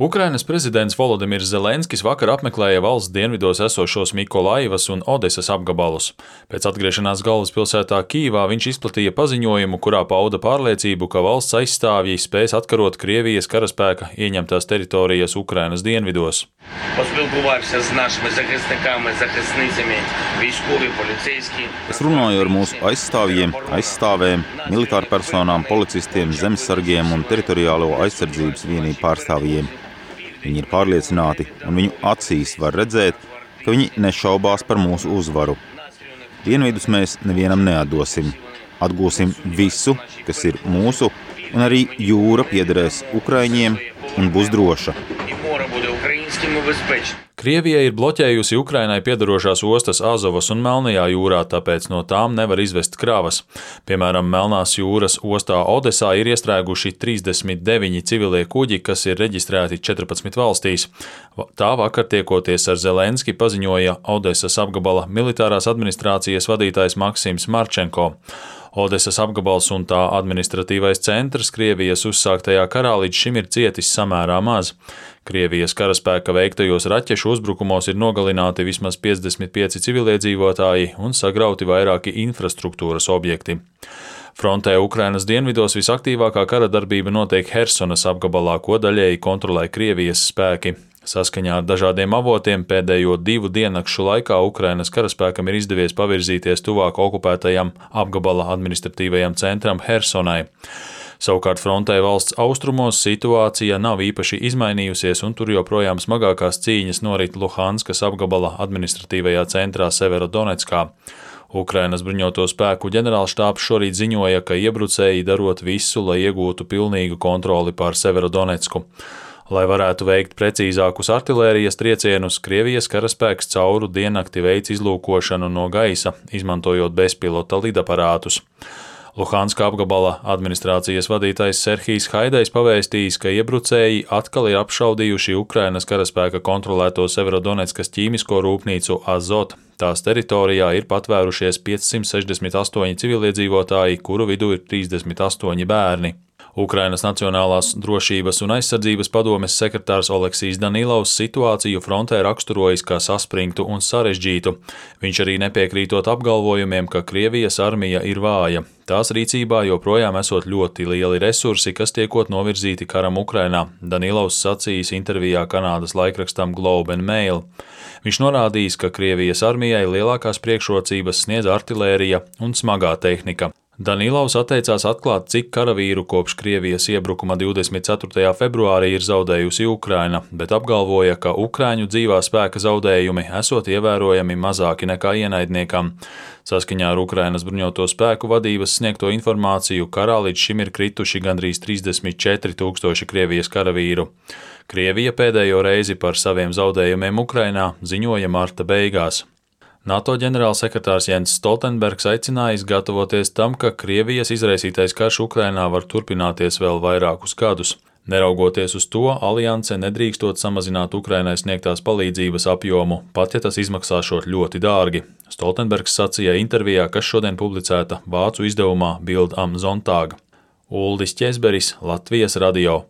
Ukrainas prezidents Volodimirs Zelenskis vakar apmeklēja valsts dienvidos esošos Mikolaivas un Odesas apgabalus. Pēc atgriešanās galvaspilsētā Kijivā viņš izplatīja paziņojumu, kurā pauda pārliecību, ka valsts aizstāvji spēs atkarot Krievijas karaspēka ieņemtās teritorijas Ukrainas dienvidos. Es runāju ar mūsu aizstāvjiem, aizstāvēm, militārpersonām, policistiem, zemesargiem un teritoriālo aizsardzības vienību pārstāvjiem. Viņi ir pārliecināti, un viņu acīs var redzēt, ka viņi nešaubās par mūsu uzvaru. Dienvidus mēs nevienam neatdosim. Atgūsim visu, kas ir mūsu, un arī jūra piederēs Ukraiņiem un būs droša. Krievija ir bloķējusi Ukrainai piedarošās ostas Azovas un Melnajā jūrā, tāpēc no tām nevar izvest kravas. Piemēram, Melnās jūras ostā Odesā ir iestrēguši 39 civilie kuģi, kas ir reģistrēti 14 valstīs. Tā vakar tiekoties ar Zelenski paziņoja Odesas apgabala militārās administrācijas vadītājs Maksims Marčenko. Odesas apgabals un tā administratīvais centrs Krievijas uzsāktajā karā līdz šim ir cietis samērā maz. Krievijas karaspēka veiktajos raķešu uzbrukumos ir nogalināti vismaz 55 civiliedzīvotāji un sagrauti vairāki infrastruktūras objekti. Frontē Ukrainas dienvidos visaktīvākā kara darbība notiek Hersonas apgabalā, ko daļēji kontrolē Krievijas spēki. Saskaņā ar dažādiem avotiem pēdējo 2 diennakšu laikā Ukrainas karaspēkam ir izdevies pavirzīties tuvāk okupētajam apgabala administratīvajam centram Hersonai. Savukārt frontē valsts austrumos situācija nav īpaši izmainījusies, un tur joprojām smagākās cīņas norit Luhanskas apgabala administratīvajā centrā Severodonetskā. Ukrainas bruņoto spēku ģenerālštābs šorīt ziņoja, ka iebrucēji darot visu, lai iegūtu pilnīgu kontroli pār Severodonetsku. Lai varētu veikt precīzākus artilērijas triecienus, Krievijas karaspēks cauru diennakti veic izlūkošanu no gaisa, izmantojot bezpilota lidaparātus. Luhanska apgabala administrācijas vadītājs Serhijs Haidais pavēstījis, ka iebrucēji atkal ir apšaudījuši Ukrainas karaspēka kontrolēto Severodonetskas ķīmisko rūpnīcu Azot. Tās teritorijā ir patvērušies 568 civiliedzīvotāji, kuru vidū ir 38 bērni. Ukrainas Nacionālās drošības un aizsardzības padomes sekretārs Oleksijs Danilovs situāciju frontē raksturojas kā saspringtu un sarežģītu. Viņš arī nepiekrītot apgalvojumiem, ka Krievijas armija ir vāja. Tās rīcībā joprojām esot ļoti lieli resursi, kas tiekot novirzīti karam Ukrainā, Danilovs sacījis intervijā Kanādas laikrakstam Globe and Mail. Viņš norādījis, ka Krievijas armijai lielākās priekšrocības sniedz artilērija un smagā tehnika. Danilovs atteicās atklāt, cik karavīru kopš Krievijas iebrukuma 24. februārī ir zaudējusi Ukraina, bet apgalvoja, ka Ukraiņu dzīvā spēka zaudējumi esot ievērojami mazāki nekā ienaidniekam. Saskaņā ar Ukrainas bruņoto spēku vadības sniegto informāciju karā līdz šim ir krituši gandrīz 34 000 Krievijas karavīru. Krievija pēdējo reizi par saviem zaudējumiem Ukrainā ziņoja marta beigās. NATO ģenerālsekretārs Jens Stoltenbergs aicinājis gatavoties tam, ka Krievijas izraisītais karš Ukrainā var turpināties vēl vairākus gadus. Neraugoties uz to, alianse nedrīkstot samazināt Ukrainai sniegtās palīdzības apjomu, pat ja tas izmaksāšot ļoti dārgi. Stoltenbergs sacīja intervijā, kas šodien publicēta vācu izdevumā Bild am Sonntag. Uldis Ķesberis, Latvijas radio.